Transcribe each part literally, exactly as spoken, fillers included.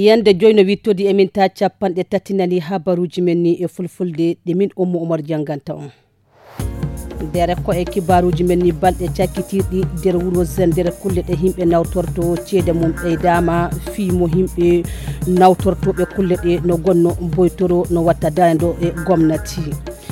Yande joy no wittodi e min ta capanɗe tati nani habaruji men ni e fulfulde ɗe min Ummu Umar janganta on. Dere ko e kibaruji men ni balɗe cakkitirɗi nder wuro Zender kulle ɗe himɓe nawtorto ceede mum ɓeydama fii mo himɓe nawtortoɓe kulle ɗe no gonno boytoro no watta dayndo e gomnati.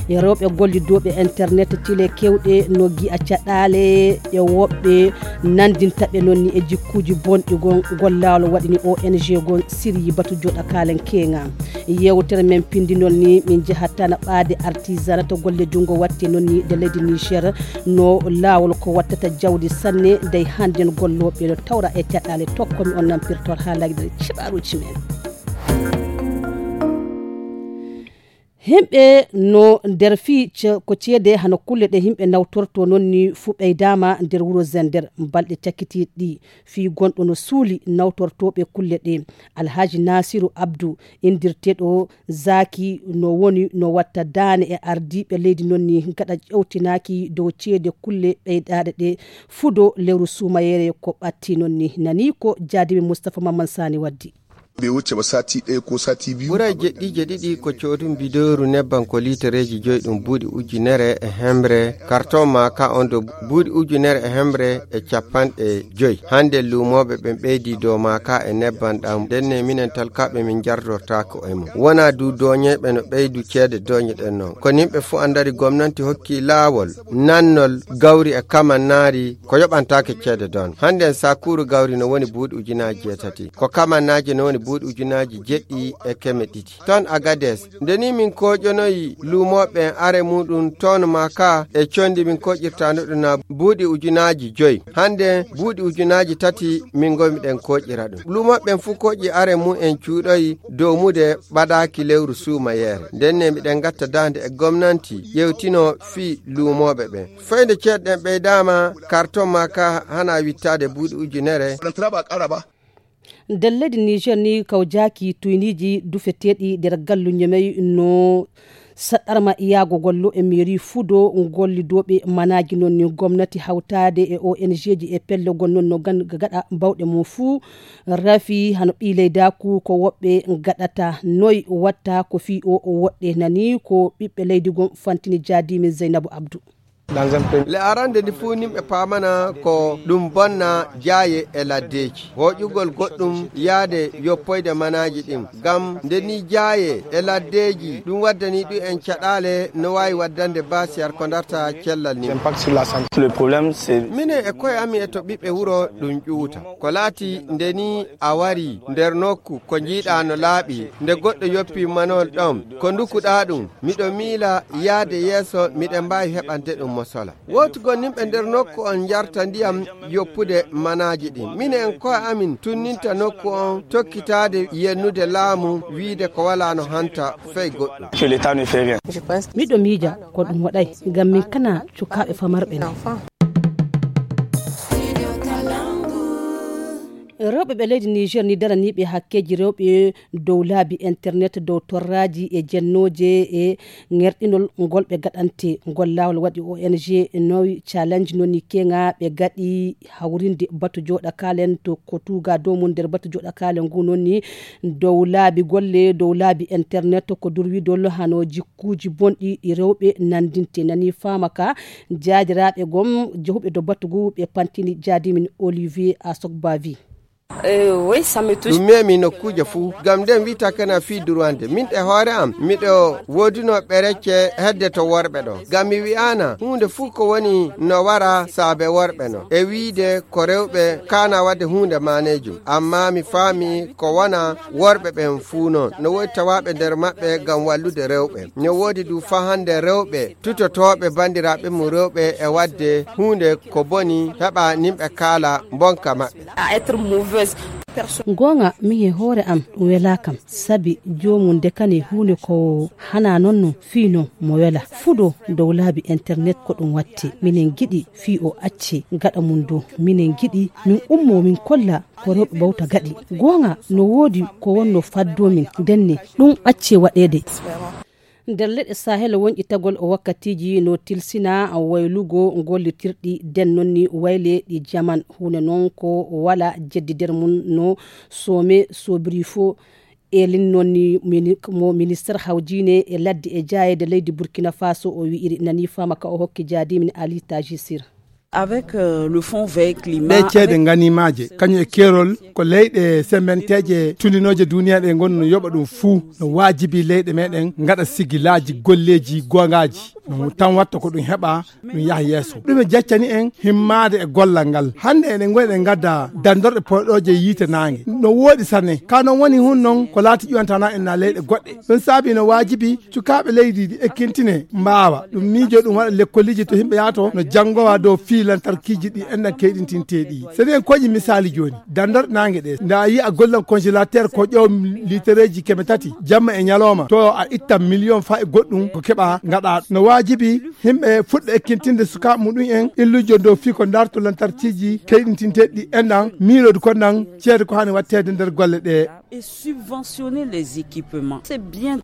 E rewɓe gollidooɓe internet tile kewɗe no gi'a caɗaale e woɓɓe nandinta ɓe noon ni e jikkuuji bonɗi gon gollawol waɗini O N G gon siryi batu joɗa kaalen keŋa. Yewtere men pindi noon ni min jahat tana ɓaade artisanat golle junngo watte noon ni de leydi Niger no laawol ko wattata jawdi sanne dey hannden gollooɓe no tawra e caɗaale tokkomi on nampirtor haa lagdere ciɓaruuji men. Himɓe no nder fii ce- ko ceede hano kulle ɗe himɓe nawtorto noon ni fuu ɓeydaama nder wuro Zender balɗe cakkitiiɗi ɗi fii gonɗo no suuli nawtortooɓe kulle ɗe. Alhaji Nasiru Abdu indirteeɗo Zaki no woni no watta daane e ardiiɓe leydi noon ni gaɗa ƴewtinaaki dow ceede kulle ɓeydaaɗe ɗe fudo lewru suumayeere ko ɓatti noon ni nani ko jaadiiɓe Mustapha Mamman Sani waddi. Ɓe wucce ba sati ɗaya ko sati biyu. Ɓuray jeɗɗiije ɗiɗi ko coodun bidooru nebban ko liitereeji joy ɗum buuɗi ujunere e hemre karton maaka on do buuɗi ujunere e hemre e capanɗe joy. Hannde luumooɓe ɓen ɓeydi dow maaka e nebban ɗam. Ndenne minen talkaaɓe min jardortaako e mum. Wonaa du dooñeyɓe no ɓeydu ceede dooñe ɗen non. Ko nimɓe fuu anndari gomnanti hokki laawol nannol gawri e kamannaari ko yoɓantaake ceede don. Hannde en sakuuru gawri no woni buuɗi ujunaaji jeetati. Ko kamannaaji no woni buuɗi ujunaaji jeɗɗi e keme ɗiɗi. Ton Agades, nde ni min kooƴonoyi luumooɓe en are muɗum ton ma ka e condi min kooƴirtaano ɗum na buuɗi ujunaaji joy. Hannde buuɗi ujunaaji tati min ngomi ɗen kooƴira ɗum. Luumooɓe en fuu kooƴi are mum en cuuɗoyi dow mude ɓadaaki lewru suumayeere. Nden ne miɗen ngatta daande e gomnanti ƴewtino fii luumooɓe ɓen. Fayde ceeɗɗen ɓeydaama karton ma ka hana wittaade buuɗi ujunere. Nder leydi Niger ni kawjaaki tuyniiji dufeteeɗi nder gallu ñomey no saɗɗarma iyaago gollo e mairie fudo gollidooɓe manaaji noon ni gomnati hawtaade e O N G ji e pelle gon noon no gan- gaɗa bawɗe mum fuu rafi hano ɓii leydaaku ko woɓɓe gaɗata noy watta ko fii o woɗɗe nani ko ɓiɓɓe leydi gon fantini jaadiimi Zeynabu Abdu. Le arande ndi fuu nimɓe paamana ko ɗum bonna jaaye e laddeeji hooƴugol goɗɗum yaade yoppoyde manaaji ɗin ngam nde ni jaaye e laddeeji ɗum waddani ɗum en caɗaale no waawi waddande basiyar ko darta cellal ni. Minen e koye amin e to ɓiɓɓe wuro ɗum ƴuwuta ko laati nde ni a wari nder nokku ko njiiɗa no laaɓi nde goɗɗo yoppi manol ɗon ko ndukuɗa ɗum miɗo miila yaade yeeso miɗen mbaawi heɓande ɗum mosola. Wootugol nimɓe nder nokku on njarta ndiyam yoppude manaaji ɗin. Minen koye amin tunninta nokku on tokkitaade yennude laamu wiide ko walaa no hanta fey goɗɗum. Miɗo miija ko ɗum waɗay ngam min kana cukaaɓe famarɓe no. Rewɓe ɓe leydi Niger ni daraniiɓe hakkeeji rewɓe dow laabi internet dow torraaji e jennooje e ŋerɗinol ngol ɓe gaɗante ngol laawol waɗi O N G Nowi Challenge noni keŋa ɓe gaɗi hawrinde batu joɗa kalen to ko tuga dow mum nder batu joɗa kalen ngu noni dow laabi golle dow laabi internet ko durwidol hano jikkuuji bonɗi ɗi rewɓe nandinte nani faama ka jaadiraaɓe gom jehuɓe dow batu ngu ɓe pantini jaadimin Olivier Asogbavi. Ɗum memi nokkuuje fuu ngam nden wi'ata kana fii durwande min e hoore am miɗo woodunoo ɓerecce hedde to worɓe ɗo ngam mi wi'aana huunde fuu ko woni no wara saabe worɓe no e wiide ko rewɓe kaana waɗde huunde maaneejum amma mi faami ko wona worɓe ɓen fuu noon no woodi tawaaɓe nder maɓɓe ngam wallude rewɓe no woodi du faa hannde rewɓe tutotooɓe banndiraaɓe mum rewɓe e waɗde huunde ko boni heɓa nimɓe kaala mbonka maɓɓe. Goonga min e hoore am ɗum welaa kam sabi joomum ndekani huunde ko hanaa noon no fii noon mo welaa fudo dow laabi internet ko ɗum watte minen ngiɗi fii o acce gaɗa mum dow minen ngiɗi min ummoo min kolla ko rewɓe bawta gaɗi goonga no woodi ko wonno faddoo min ndenne ɗum acce waɗeede. Nder leɗɗe sahel wonƴitagol o wakkatiiji no tilsina waylugo gollitirɗi den noon ni wayle ɗi jaman huunde noon ko wala jeddi nder mum no some sobri fo. Elin noon ni mo minister hawjine e ladde e jayede leydi burkina faso o wi'iri nani fama ka o hokki jaadimin ali tajisir. Avec euh, le fonds vert climat. Ɗe ceede nganimaaje kañum e keerol ko leyɗe sembenteeje tuninooje duniya ɗe ngonno yoɓa ɗum fuu. No waajibi leyɗe meɗen ngaɗa sigilaaji golleeji goongaaji. Ɗum tan watta ko ɗum heɓa ɗum yaha yeeso. Ɗum e jaccani en himmaade e gollal ngal hannde eɗen ngoy ɗen ngadda dandorɗe poɗooje yiite naange no wooɗi sanne ka noon woni hun noon ko laati ƴuwantana en na leyɗe goɗɗe. Ɗum saabi no waajibi cukaaɓe leydi ndi ekkintine mbaawa ɗum miijo ɗum waɗa lekkoliji to yimɓe yaato no janngowa dow fii lantarkiji ɗi enɗan keyɗintinteɗi. So eɗen koƴi misaali jooni dandorɗe naange ɗe nda a yi'a gollal congélateur ko ƴow litereji keme tati jamma e ñalawma to a ittan miliyon fa e goɗɗum ko keɓa ngaɗa no waajibi yimɓe fuɗɗa ekkintinde sukaaɓe muɗum en illujo dow fii ko darto lantarkiji keyɗintinteɗi ɗi enɗan miilodu kon nan ceede ko hani wattede nder golle ɗe. Et subventionner les équipements. C'est bien.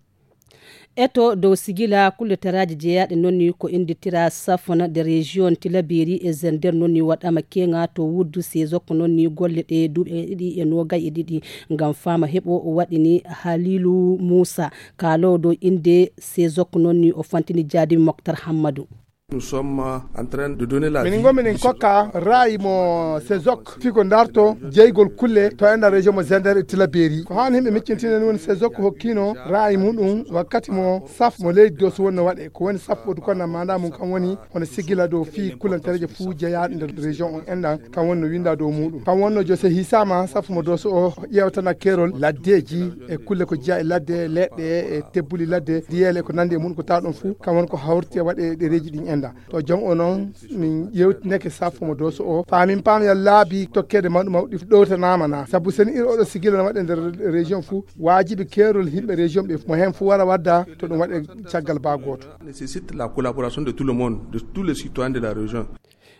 Eto dow sigila kulleteraaji jeyaaɗe noon ni ko innditira safona de région tilaberi e zender noon ni waɗama keŋa to wuddu sesok noon ni golle ɗe duuɓe ɗiɗi e noogay e ɗiɗi ngam fama heɓo waɗini halilu moussa kaaloowo dow innde sesok noon ni o fantini jaadimi moktar hammadu. Minin gomi nin kokka raayi mo sesok fii ko ndarto jeygol kulle to enda région mo zender e tilaberi ko haani himɓe miccintinen woni sesok hokkino raayi muɗum wakkati mo saf mo leydi dow so wonno waɗe ko woni saf ɓodu konna manda mum kam woni hono sigila dow fii kulantereje fuu jeyaɗe nder région on enɗan kam woni no winda dow muɗum kam wonno jose hisama saf mo dow so o ƴewtana kerol laddeji e kulle ko jeya e ladde leɗɗe e tebbuli ladde diyele ko nandi e muɗum ko taɗon fuu kam woni ko hawrti e waɗe ɗereji ɗin enɗan to jom o noon min yewtineke safo mo doso o faamin paam ya laabi tokkede mawɗi mawɗi ɗowtanama na sabu seni ir oɗo sigila no waɗe nder région fou waajibi keerol yimɓe région ɓe mo hen fou wara wadda to ɗum waɗe caggal ba gooto. Nécessite la collaboration de tout le monde, de tous les citoyens de la région.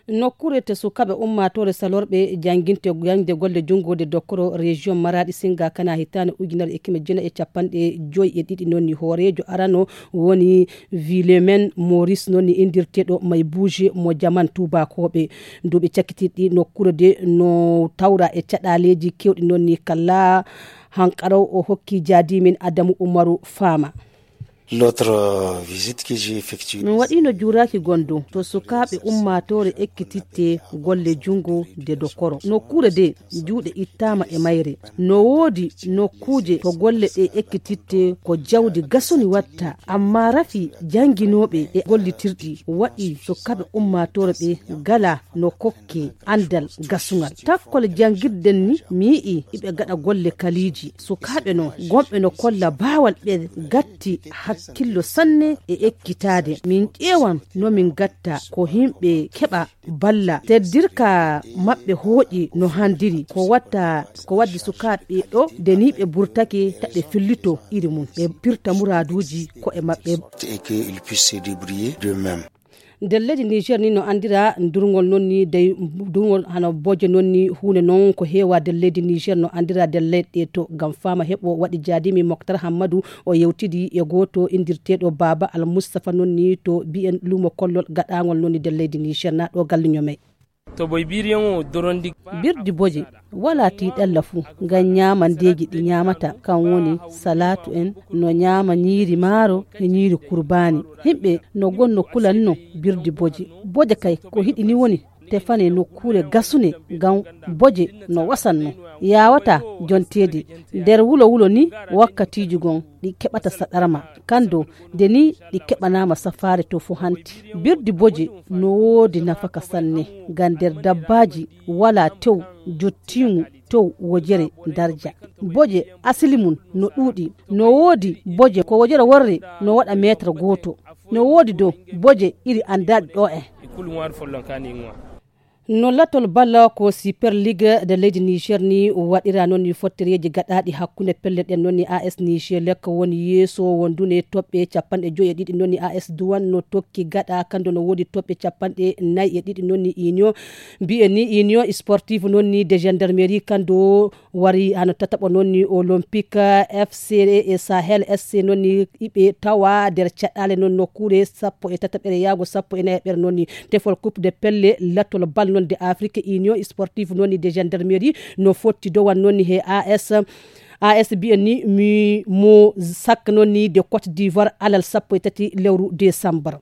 Nokkuure to sukaaɓe ummaatoore salorɓe jannginte jaŋde golle junngoode dokkoro région maraɗi singa kana hitaande ujunere e keme jeenayi e capanɗe joyi e ɗiɗi noon ni hooreejo arano woni vilemen maurice noon ni inndirteeɗo may bouge mo jaman tuubakooɓe duuɓi cakkitiiɗi nokkuure de no tawra e caɗaaleeji keewɗi noon ni kala hanqaraw o hokki jaadimin adamu umaru faama. L'autre visite que j'ai effectuée. Min waɗino juuraaki gondo to sukaaɓe ummaatoore ekkititte golle junngo de dokoro nokkuure de juuɗe ittaama e mayre no woodi nokkuuje to golle ɗe ekkititte ko jawdi gasuni watta amma rafi jannginooɓe e gollitirɗi waɗi sukaaɓe ummaatoore ɓe gala no kokke anndal gasungal takkol janngirden ni mi yi'i iɓe gaɗa golle kaliiji sukaaɓe no gomɓe no kolla baawal ɓe gatti hakkillo sanne e ekkitaade min ƴeewan no min gatta ko yimɓe keɓa balla teddirka maɓɓe hooƴi no handiri ko watta ko waddi sukaaɓe ɗo de ni ɓe burtake ta ɓe fillito iri mum ɓe pirta muraaduuji ko'e maɓɓe. Et que ils puissent se débrouiller d'eux-mêmes. Nder leydi niger ni no anndira durgol noon ni dey durgol hano boje noon ni huunde noon ko heewa nder leydi niger no anndira nder leyɗe to ngam faama heɓo waɗi jaadimi moktar hammadu o yewtidi e gooto inndirteeɗo baaba almustapha noon ni to mbiyen lumo kollol gaɗaangol noon ni nder leydi niger na ɗo galliño may. To boy biriyan o dorondi. Birdi boje wala tiiɗalla fuu ngam ñaamandeeji ɗi ñaamata kam woni salaatu en no ñaama ñiiri maaro e ñiiri kurbaani yimɓe no gonno kulanno birdi boje boje kay ko hiɗi ni woni tefane nokkuure gasune ngam boje no wasanno yawata jonteede nder wulo wulo ni wakkatiiji gon ɗi keɓata saɗarma kando nde ni ɗi keɓanama safaare to fo hanti birdi boje no woodi nafaka sanne ngam nder dabbaaji wala tew jottiimu tew wojere darja boje asili mum no ɗuuɗi no woodi boje ko wojere worre no waɗa meetre gooto no woodi dow boje iri anndaaɗi ɗo en. No latol balla ko Super League de leydi Niger ni waɗira noon ni fottereeji gaɗaaɗi hakkunde pelle ɗen noon ni A S Niger Lek woni yeeso wondune toɓɓe capanɗe joyi e ɗiɗi noon ni A S Douane no tokki gaɗa kanndo no woodi toɓɓe capanɗe nayi e ɗiɗi noon ni Union mbiyen ni Union Sportive noon ni de Gendarmerie kanndo wari hano tataɓo noon ni Olympique F C e Sahel S C noon ni iɓe tawa nder caɗɗaale noon nokkuure sappo e tataɓere yaago sappo e nayaɓere noon ni tefol coupe de pelle latol bal noon de Afrique Union Sportive noon ni de Gendarmerie no fotti dowan noon ni he A S A S mbiyen ni mi mo sakka noon ni de Côte d'Ivoire alal sappo e tati lewru décembre.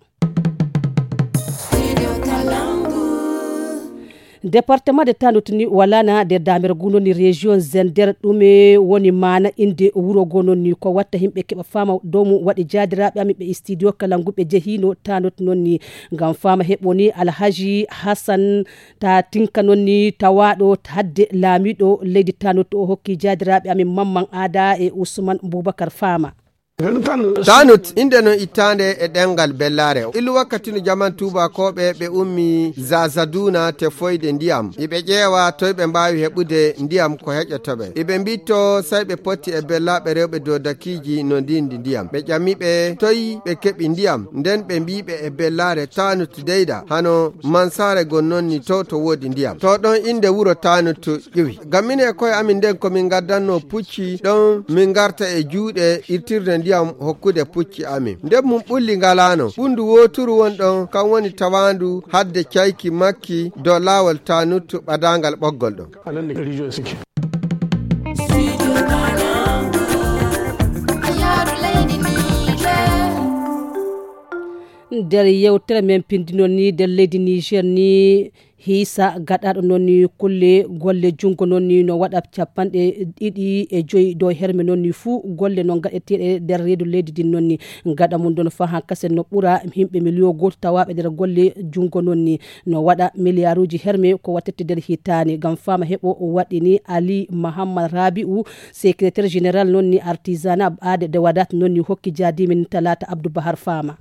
Département de Tanut ni walana de damer guno ni région Zender ɗume woni mana inde wuro go noon ni ko watta himɓe keɓa fama dow mum waɗi jaadiraaɓe amin ɓe studio kala ngu ɓe jehino Tanut noon ni ngam fama heɓo ni Alhaji Hassan ta tinka noon ni tawaɗo hadde laamiɗo leydi Tanut o hokki jaadiraaɓe amin Mamman Ada e Usman Bubakar Fama. Tanut, inde non ittaande e ɗemngal Bellaare. Illu wakkati no jaman tuubakooɓe ɓe ummi Zazaduna tefoyde ndiyam. Iɓe ƴeewa toy ɓe mbaawi heɓude ndiyam ko heƴoto ɓe. Iɓe mbitto say ɓe potti e bellaaɓe rewɓe dodakiiji no ndindi ndiyam. Ɓe ƴami ɓe toy ɓe keɓi ndiyam. Nden ɓe mbii ɓe e Bellaare Tanut deyda hano Mansaare gon non ni to to woodi ndiyam. To ɗon inde wuro Tanut ƴuwi. Ngam minen e koye amin nden ko min ngaddanno pucci ɗon min ngarta e juuɗe irtirde ndiyam hokkude pucci amin. Nden mum ɓulli ngalaano. Ɓunndu wooturu won ɗon kan woni tawaandu hadde cayki makki dow laawol Tanut ɓadaangal ɓoggol ɗon. Nder yewtere men pindino ni nder leydi Niger ni hiisa gaɗaɗo noon ni kulle golle junngo noon ni no waɗa capanɗe ɗiɗi e joyi dow herme noon ni fuu golle noon gaɗeteeɗe nder reedu leydi ndin noon ni gaɗa mum ɗon faa han kasen no ɓura yimɓe miliyon gooto tawaaɓe nder golle junngo noon ni no waɗa miliyaruuji herme ko wattete nder hitaande ngam faama heɓo waɗini Ali Mahammad Rabi'u secrétaire général noon ni artisanat aade de wadat noon ni hokki jaadimin talaata Abdou Bahar Faama.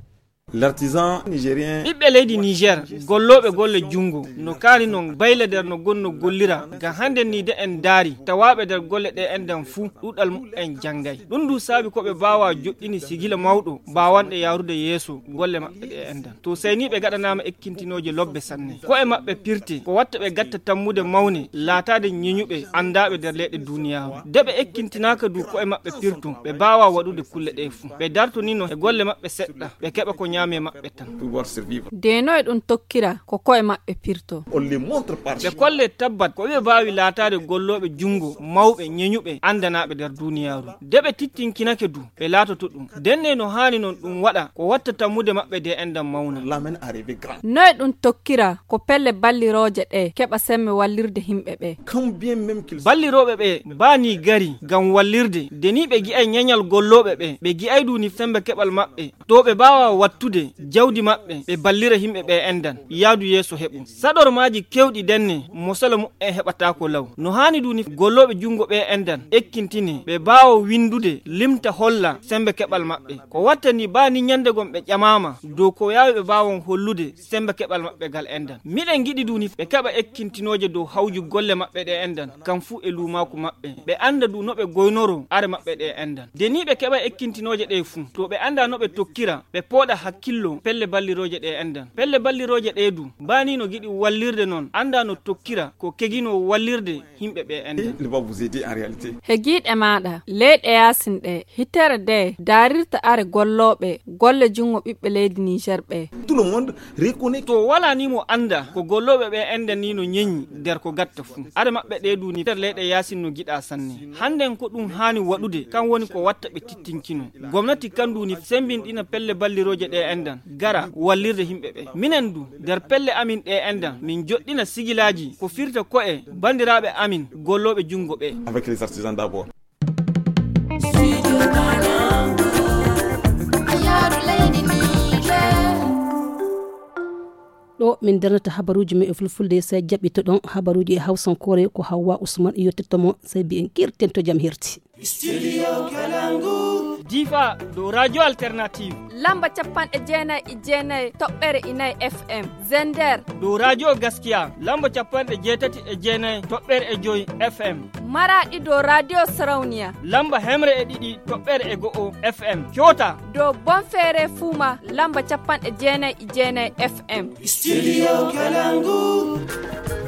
L'artisan nigérien. Ɓiɓɓe leydi Niger gollooɓe golle junngo no kaani noon bayla nder no gonno gollira ngam hannde ni de en ndaari tawaaɓe nder golle ɗe enɗan fuu ɗuuɗal muɓɓen janngay. Ɗum ndu saabi ko ɓe mbaawaa joɗɗini sigila mawɗo mbaawanɗe yaarude yeeso golle maɓɓe ɗe enɗan to seyniiɓe gaɗanaama ekkintinooje lobbe sanne ko'e maɓɓe pirte ko watta ɓe gatta tammude mawne laataade ñeñuɓe anndaaɓe nder leyɗe duuniyaaru de ɓe ekkintinaaka du ko'e maɓɓe pirto ɓe mbaawaa waɗude kulle ɗe fuu ɓe dartonino e golle maɓɓe seɗɗa ɓe keɓa ko ñaame maɓɓe tan. Deno e ɗum tokkira ko ko'e maɓɓe pirto. Ɓe kolle tabbat ko ɓe mbaawi laataade gollooɓe junngo mawɓe ñeñuɓe anndanaaɓe nder duuniyaaru de ɓe tittinkinake du ɓe laatoto ɗum denne no haani noon ɗum waɗa ko watta tammude maɓɓe de enɗan mawna. Noye ɗum tokkira ko pelle ballirooje ɗe keɓa semme wallirde himɓe ɓe. Ballirooɓe ɓe mbaani gari ngam wallirde de ni ɓe gi'ay ñañal gollooɓe ɓe ɓe gi'ay du ni sembe keɓal maɓɓe to ɓe mbaawa wattude jawdi maɓɓe ɓe ballira yimɓe ɓe enɗan yaadu yeeso heɓu saɗormaaji kewɗi denne mosala muɓɓen heɓataako law no haani du ni gollooɓe junngo ɓe enɗan ekkintine ɓe mbaawa winndude limta holla sembe keɓal maɓɓe ko watta ni baa ni ñannde gon ɓe ƴamaama dow ko yaawi ɓe mbaawon hollude sembe keɓal maɓɓe gal enɗan miɗen ngiɗi du ni ɓe keɓa ekkintinooje dow hawju golle maɓɓe ɗe enɗan kam fuu e luumaaku maɓɓe ɓe annda du no ɓe goynoro are maɓɓe ɗe enɗan de ni ɓe keɓa ekkintinooje ɗe fuu to ɓe annda no ɓe tokkira ɓe pooɗa hakkillo pelle ballirooje ɗe enɗan pelle ballirooje ɗe du mbaani no giɗi wallirde noon annda no tokkira ko keginoo wallirde yimɓe ɓe enɗan. He giiɗe maaɗa leyɗe yaasin ɗe hitere de daarirta are gollooɓe golle junngo ɓiɓɓe leydi Niger ɓe. To walaa ni mo annda ko gollooɓe ɓe enɗan ni no ñeñi nder ko gatta fuu are maɓɓe ɗe du ni hitere leyɗe yaasin no giɗa sanne hannden ko ɗum haani waɗude kan woni ko watta ɓe tittinkino gomnati kan du ni sembinɗina pelle ballirooje ɗe enɗan gara wallirde yimɓe ɓe minen du nder pelle amin ɗe enɗan min joɗɗina sigilaaji ko firta ko'e banndiraaɓe amin gollooɓe junngo ɓe. Ɗo min darnata habaruuji men e fulfulde, so jaɓɓitoɗon habaruuji e hawsankoore, ko Hawwa Usman yottirta mo, sabi en kirten to jam herti. Studio Kalangu. Difa dow Radio Alternative. Lamba capanɗe jeenayi e jeenayi toɓɓere e nayi F M. Zender. Dow Radio Gaskiya, lamba capanɗe jeetati e jeenayi toɓɓere e joyi F M. Maraɗi dow Radio Sarauniya. Lamba hemre e ɗiɗi toɓɓere e go'o F M. Kyota. Dow Bonfere Fuma, lamba capanɗe jeenayi e jeenayi F M. Studio Kalangu.